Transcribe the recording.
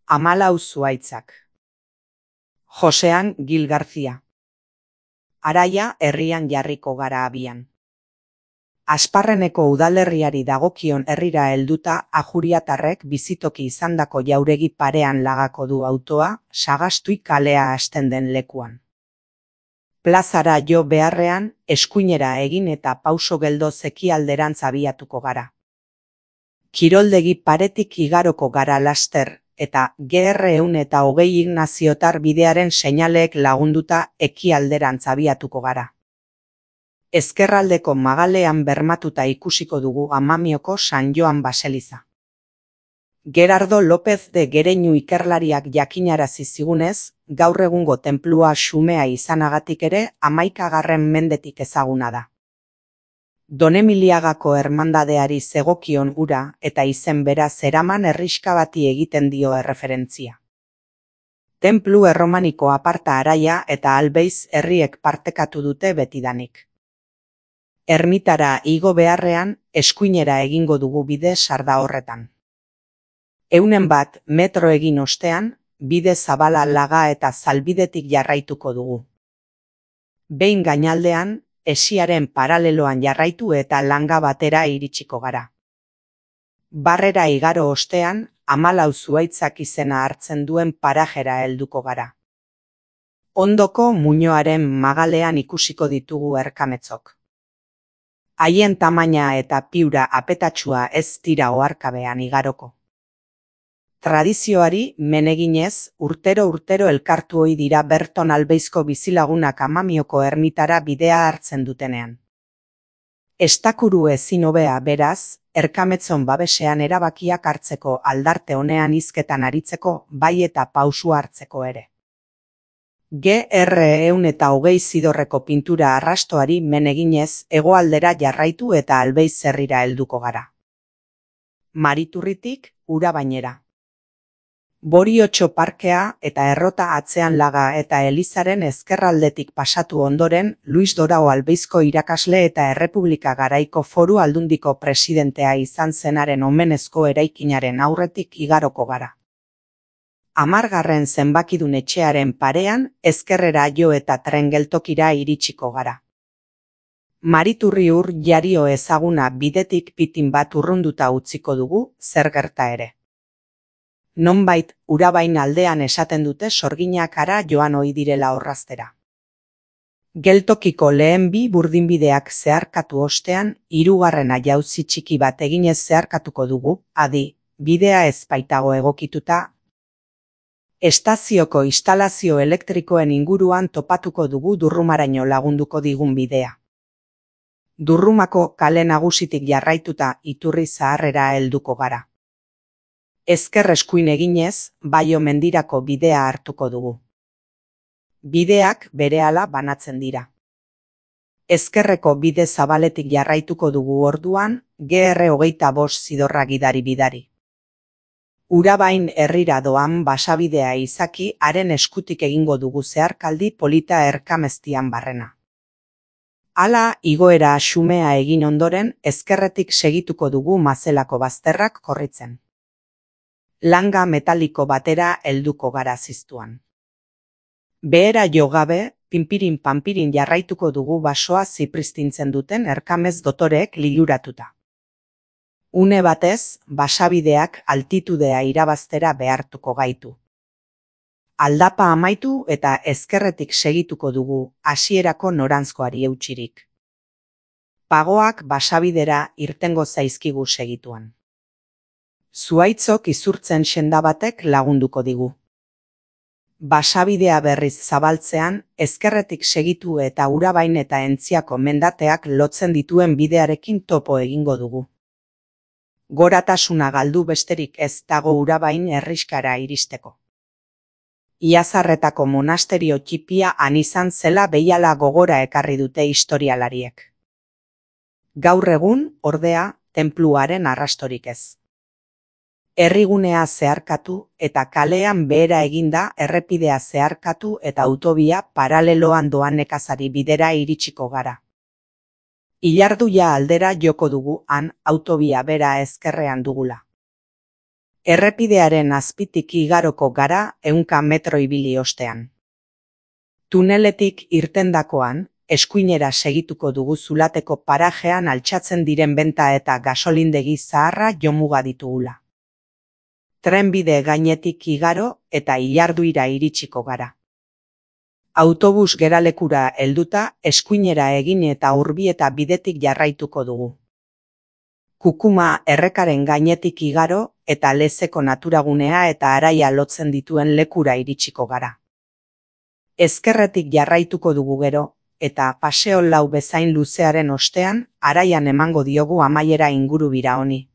14 zuhaitzak. Josean Gil García. Araia herrian jarriko gara abian. Asparreneko udalerriari dagokion herrira helduta ajuriatarrek bizitoki izandako jauregi parean lagako du autoa, Sagastui kalea hasten den lekuan. Plazara jo beharrean, eskuinera egin eta pauso geldo zekialderantz abiatuko gara. Kiroldegi paretik igaroko gara laster, eta GR120 Ignaziotar bidearen seinaleek lagunduta ekialderantz abiatuko gara. Ezkerraldeko magalean bermatuta ikusiko dugu Amamioko San Joan baseliza. Gerardo López de Gereñu ikerlariak jakinarazi zigunez, gaur egungo tenplua xumea izanagatik ere 11. mendetik ezaguna da. Donemiliagako ermandadeari zegokion ura eta izen bera zeraman herriska bati egiten dio erreferentzia. Tenplu erromaniko aparta Araia eta Albeiz herriek partekatu dute betidanik. Ermitara igo beharrean, eskuinera egingo dugu bide sarda horretan. 100 metro egin ostean, bide zabala laga eta zalbidetik jarraituko dugu. Behin gainaldean, esiaren paraleloan jarraitu eta langa batera iritsiko gara. Barrera igaro ostean, 14 zuhaitzak izena hartzen duen parajera helduko gara. Ondoko muinoaren magalean ikusiko ditugu erkametzok. Haien tamaina eta piura apetatsua ez dira oharkabean igaroko. Tradizioari meneginez, urtero elkartu ohi dira Berton Albeizko bizilagunak Amamioko ermitara bidea hartzen dutenean. Estakuru ezin hobea beraz, erkametzon babesean erabakiak hartzeko aldarte honean hizketan aritzeko, bai eta pausu hartzeko ere. GR120 Zidorreko pintura arrastoari meneginez hegoaldera jarraitu eta Albeiz herrira helduko gara. Mariturritik Urabainera. Boriotxo parkea eta errota atzean laga eta elizaren ezkerraldetik pasatu ondoren, Luis Dorao Albeizko irakasle eta Errepublika Garaiko Foru Aldundiko presidentea izan zenaren omenezko eraikinaren aurretik igaroko gara. 10. zenbakidun etxearen parean, ezkerrera jo eta tren geltokira iritsiko gara. Mariturri ur jario ezaguna bidetik pitin bat urrunduta utziko dugu, zer gerta ere. Nonbait, Urabain aldean esaten dute sorginak ara joan ohi direla orraztera. Geltokiko lehen bi burdinbideak zeharkatu ostean, 3. jauzi txiki bat eginez zeharkatuko dugu, adi, bidea ez baitago egokituta. Estazioko instalazio elektrikoen inguruan topatuko dugu Durrumaraino lagunduko digun bidea. Durrumako kale nagusitik jarraituta Iturri zaharrera helduko gara. Ezker eskuin eginez, Baio mendirako bidea hartuko dugu. Bideak berehala banatzen dira. Ezkerreko bide zabaletik jarraituko dugu orduan, GR25 Zidorra gidari. Urabain herrira doan basabidea izaki haren eskutik egingo dugu zeharkaldi polita erkameztian barrena. Hala, igoera xumea egin ondoren, ezkerretik segituko dugu Mazelako bazterrak korritzen. Langa metaliko batera helduko gara ziztuan. Behera jo gabe, pinpirin-panpirin jarraituko dugu basoa zipristintzen duten erkamez dotoreek liluratuta. Une batez, basabideak altitudea irabaztera behartuko gaitu. Aldapa amaitu eta ezkerretik segituko dugu hasierako noranzkoari eutsirik. Pagoak basabidera irtengo zaizkigu segituan. Zuhaitzok izurtzen senda batek lagunduko digu. Basabidea berriz zabaltzean, ezkerretik segitu eta Urabain eta Entziako mendateak lotzen dituen bidearekin topo egingo dugu. Goratasuna galdu besterik ez dago Urabain herriskara iristeko. Iazarretako monasterio txipia han izan zela behiala gogora ekarri dute historialariek. Gaur egun, ordea, tenpluaren arrastorik ez. Herrigunea zeharkatu eta kalean behera eginda errepidea zeharkatu eta autobia paraleloan doan nekazari bidera iritsiko gara. Ilarduia aldera joko dugu han autobia bera ezkerrean dugula. Errepidearen azpitik igaroko gara 100 metro ibili ostean. Tuneletik irtendakoan, eskuinera segituko dugu Zulateko parajean altxatzen diren benta eta gasolindegi zaharra jomuga ditugula. Trenbide gainetik igaro eta Ilarduira iritsiko gara. Autobus geralekura helduta eskuinera egin eta Urbieta bidetik jarraituko dugu. Kukuma errekaren gainetik igaro eta Lezeko naturagunea eta Araia lotzen dituen lekura iritsiko gara. Ezkerretik jarraituko dugu gero, eta Paseo Lau bezain luzearen ostean Araian emango diogu amaiera ingurubira honi.